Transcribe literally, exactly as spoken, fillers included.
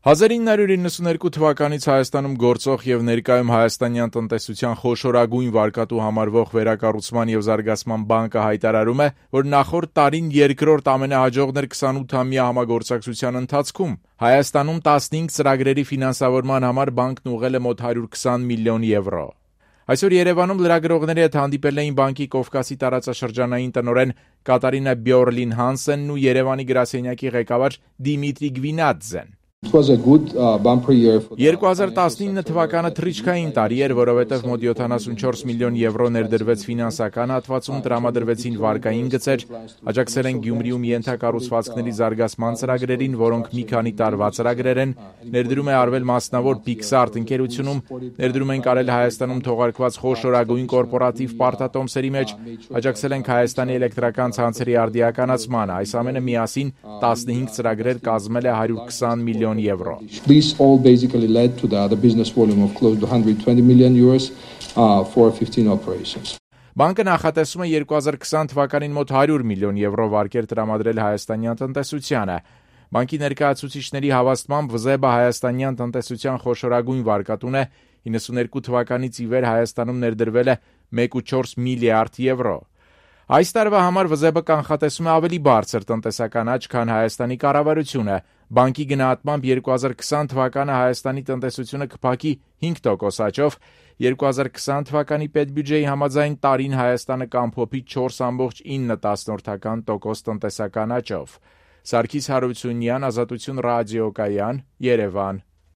հազար ինը հարյուր իննսունհինգ թվականից Հայաստանում գործող եւ ներկայում հայաստանյան տնտեսության խոշորագույն վարկատու համարվող Վերակառուցման եւ Զարգացման բանկը հայտարարում է, որ նախորդ տարին երկրորդ ամենահաջողն էր քսանութամյա համագործակցության ընթացքում։ Հայաստանում տասնհինգ ծրագրերի ֆինանսավորման համար բանկն ուղղել է մոտ հարյուր քսան միլիոն եվրո։ Այսօր Երևանում լրագրողների հետ հանդիպել էին բանկի Կովկասի տարածաշրջանային տնօրեն Կատարինա Բյորլին Հանսենն ու Երևանի գրասենյակի ղեկավար Դիմիտրի Գվինատձեն։ երկու հազար տասնինը թվականը թռիչքային տարի էր, որովհետև մոտ յոթանասունչորս միլիոն եվրո ներդրվեց ֆինանսական հատվածում, տրամադրվեցին վարկային գծեր, աջակցել են Գյումրիում ենթակառուցվածքների զարգացման ծրագրերին, որոնք մի քանի տարվա ծրագրեր են, ներդրում է արվել մասնավոր Pixart ընկերությունում, ներդրում ենք արել Հայաստանում թողարկված խոշորագույն կորպորատիվ պարտատոմսերի մեջ, աջակցել ենք Հայաստանի էլեկտրական ցանցերի արդիականացմանը, այս ամենը միասին տասնհինգ ծրագրեր կազմել է հարյուր քսան միլիոն euro. This all basically led to the, the business volume of close to one hundred twenty million euros uh, for fifteen operations. Բանկը նախատեսում է երկու հազար քսան թվականին մոտ հարյուր միլիոն եվրո վարկեր տրամադրել հայաստանյան տնտեսությանը։ Բանկի ներկայացուցիչների հավաստմամբ ՎԶԵԲ-ը հայաստանյան տնտեսության խոշորագույն վարկատուն է, իննսունհինգ թվականից ի վեր Հայաստանում ներդրվել է մեկ կόμμα չորս միլիարդ եվրո։ Այս տարվա համար ՎԶԵԲ-ը կանխատեսում է ավելի բարձր տնտեսական աճ, քան Հայաստանի կառավարությունը։ Բանկի գնահատմամբ երկու հազար քսան թվականը Հայաստանի տնտեսությունը կփակի հինգ տոկոս աճով, երկու հազար քսան թվականի պետբյուջեի համաձայն տարին Հայաստանը կամփոփի չորս կόμma ինը տոկոս տնտեսական աճով։ Սարգիս Հարությունյան, Ազատություն ռադիոկայան, Երևան։